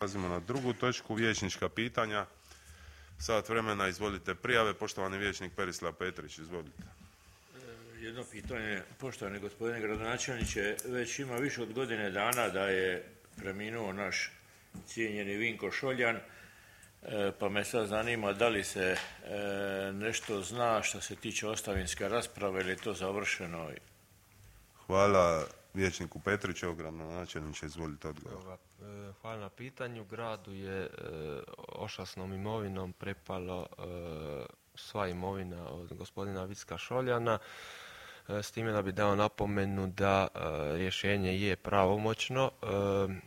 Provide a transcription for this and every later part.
Prelazimo na drugu točku, vijećnička pitanja. Sat vremena, izvolite prijave. Poštovani vijećnik Perislav Petrić, izvolite. Jedno pitanje, poštovani gospodine gradonačelniče, već ima više od godine dana da je preminuo naš cijenjeni Vinko Šoljan, pa me sad zanima da li se nešto zna što se tiče ostavinske rasprave ili je to završeno? Hvala vijećniku Petriću, gradonačelniče, izvolite odgovor. Hvala na pitanju. Gradu je ošasnom imovinom prepalo sva imovina od gospodina Vicka Šoljana, s time da bi dao napomenu da rješenje je pravomoćno,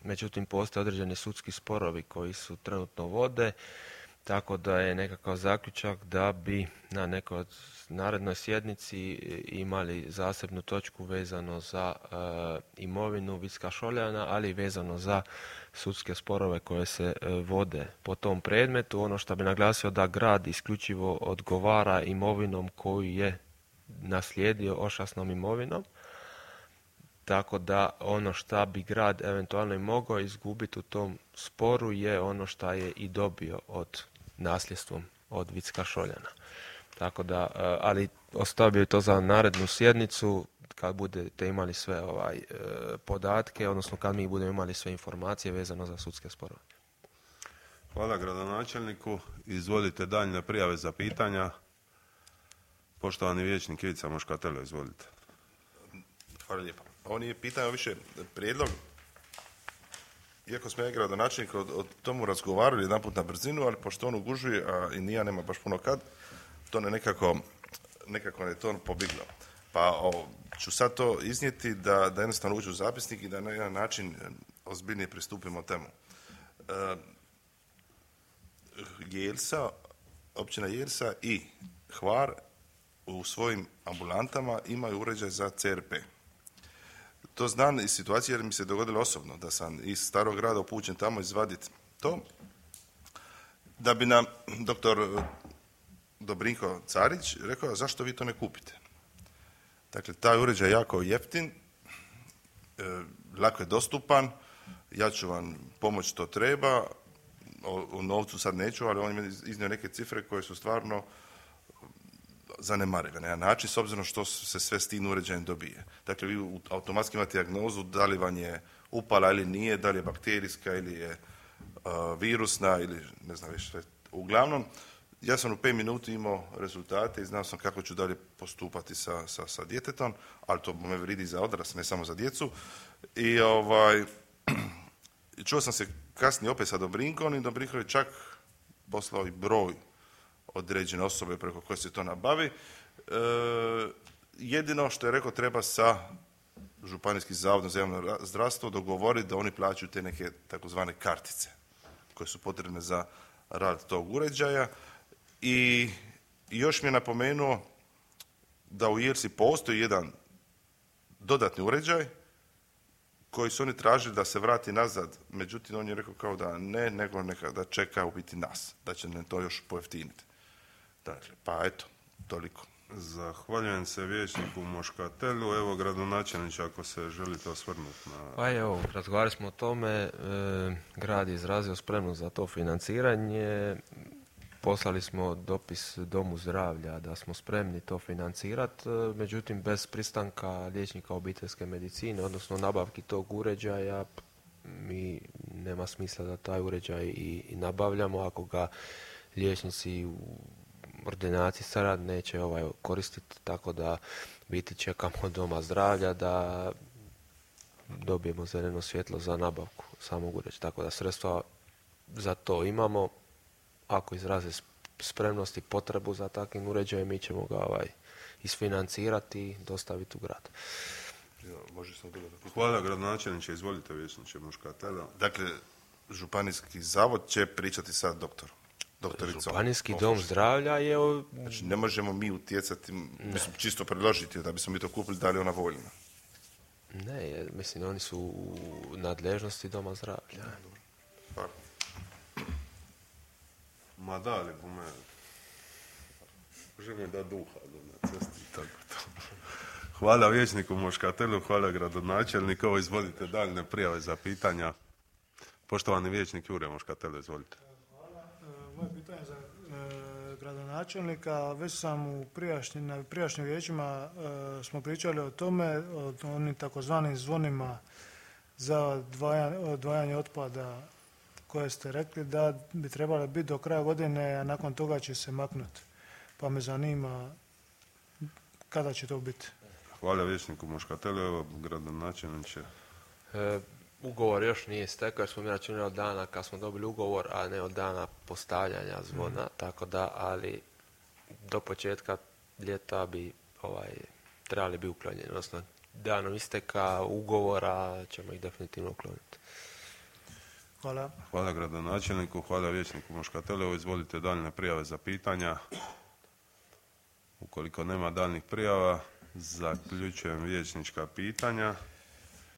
međutim postoje određeni sudski sporovi koji su trenutno vode, tako da je nekakav zaključak da bi na nekoj od narednoj sjednici imali zasebnu točku vezano za imovinu Vicka Šoljana, ali i vezano za sudske sporove koje se vode po tom predmetu. Ono što bi naglasio da grad isključivo odgovara imovinom koju je naslijedio ošasnom imovinom, tako da ono što bi grad eventualno i mogao izgubiti u tom sporu je ono što je i dobio od nasljedstvom od Vicka Šoljana. Tako da, ali ostavio to za narednu sjednicu kad budete imali sve podatke, odnosno kad mi budemo imali sve informacije vezano za sudske sporove. Hvala gradonačelniku. Izvolite daljnje prijave za pitanja. Poštovani vijećnik Ivica Moškatelo, izvolite. Hvala lijepo. Ovo nije pitanje, više prijedlog. Iako smo ja gradonačelnik o tomu razgovarali jedanput na brzinu, ali pošto on ugužuje, a i nije nema baš puno kad, to ne nekako je to pobiglo. Pa ću sad to iznijeti da jednostavno uđu u zapisnik i da na jedan način ozbiljnije pristupimo temu. Jelsa, općina Jelsa i Hvar u svojim ambulantama imaju uređaj za CRP. To znam iz situacije jer mi se dogodilo osobno da sam iz starog grada upućen tamo izvaditi to, da bi nam doktor Dobrinko Carić rekao zašto vi to ne kupite. Dakle, taj uređaj je jako jeftin, lako je dostupan, ja ću vam pomoći što treba, o novcu sad neću, ali on je iznio neke cifre koje su stvarno zanemarive na jedan način, s obzirom što se sve s tim uređajem dobije. Dakle, vi automatski imate dijagnozu da li vam je upala ili nije, da li je bakterijska ili je virusna ili ne znam više. Uglavnom, ja sam u 5 minuti imao rezultate i znao sam kako ću dalje postupati sa djetetom, ali to me vridi za odrasle, ne samo za djecu. I čuo sam se kasnije opet sa Dobrinkom i Dobrinko je čak poslao i broj određene osobe preko koje se to nabavi. Jedino što je rekao treba sa Županijskim zavodom za javno zdravstvo dogovoriti da oni plaćaju te neke takozvane kartice koje su potrebne za rad tog uređaja. I još mi je napomenuo da u Jelsi postoji jedan dodatni uređaj koji su oni tražili da se vrati nazad, međutim on je rekao kao da ne, nego da čeka u biti nas, da će nam to još pojeftiniti. Dakle, pa eto, toliko. Zahvaljujem se vijećniku Moškatelu. Evo, gradonačelniče, ako se želite osvrnuti na... Pa evo, razgovarali smo o tome, grad je izrazio spremnost za to financiranje, poslali smo dopis Domu zdravlja da smo spremni to financirati, međutim bez pristanka liječnika obiteljske medicine, odnosno nabavki tog uređaja, mi nema smisla da taj uređaj i nabavljamo ako ga liječnici u ordinaciji sad neće koristiti, tako da biti čekamo od Doma zdravlja da dobijemo zeleno svjetlo za nabavku samog uređaja, tako da sredstva za to imamo. Ako izraze spremnost i potrebu za takvim uređajem, mi ćemo ga isfinancirati i dostaviti u grad. Hvala gradonačelniče, izvolite vijećniče Moškatelo. Dakle, Županijski zavod će pričati sa doktoricom. Županijski dom zdravlja je... Znači, ne možemo mi utjecati, mislim, čisto predložiti da bismo mi to kupili, da li je ona voljna. Ne, mislim, oni su u nadležnosti Doma zdravlja. Ma da li po mene? Želim da duha na cesti. Tako to. Hvala vijećniku Moškatelu, hvala gradonačelniku. Izvolite daljne prijave za pitanja. Poštovani vijećnik Jure Moškatelo, izvolite. Hvala. Moje pitanje za gradonačelnika. Već sam na prijašnjim vijećima smo pričali o tome, o onim takozvanim zvonima za odvajanje otpada koje ste rekli da bi trebale biti do kraja godine, a nakon toga će se maknuti. Pa me zanima kada će to biti. Hvala vijećniku Moškatelu, evo gradonačelniče. Ugovor još nije stekao jer smo mi računali od dana kad smo dobili ugovor, a ne od dana postavljanja zvona, tako da, ali do početka ljeta bi trebali bi uklonjeni, odnosno danom isteka ugovora ćemo ih definitivno ukloniti. Hvala. Hvala gradonačelniku, hvala vijećniku Moškatelu, izvolite daljnje prijave za pitanja. Ukoliko nema daljnjih prijava, zaključujem vijećnička pitanja.